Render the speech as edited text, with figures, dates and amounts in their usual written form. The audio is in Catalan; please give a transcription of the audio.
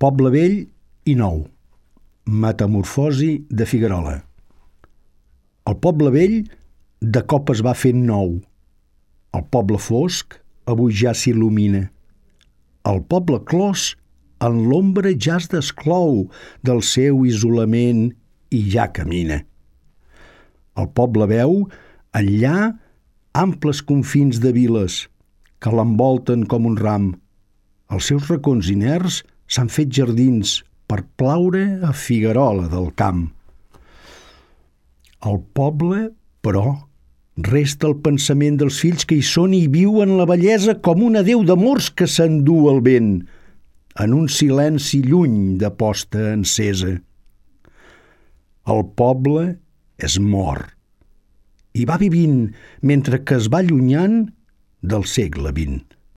Poble vell i nou. Metamorfosi de Figuerola. El poble vell de cop es va fent nou. El poble fosc avui ja s'il·lumina. El poble clos en l'ombra ja es desclou del seu isolament i ja camina. El poble veu enllà amples confins de viles que l'envolten com un ram. Els seus racons inerts s'han fet jardins per plaure a Figuerola del camp. Al poble, però, resta el pensament dels fills que hi són i viuen la bellesa com una deu d'amors que s'endú el vent, en un silenci lluny de posta encesa. El poble és mort i va vivint mentre que es va allunyant del segle XX.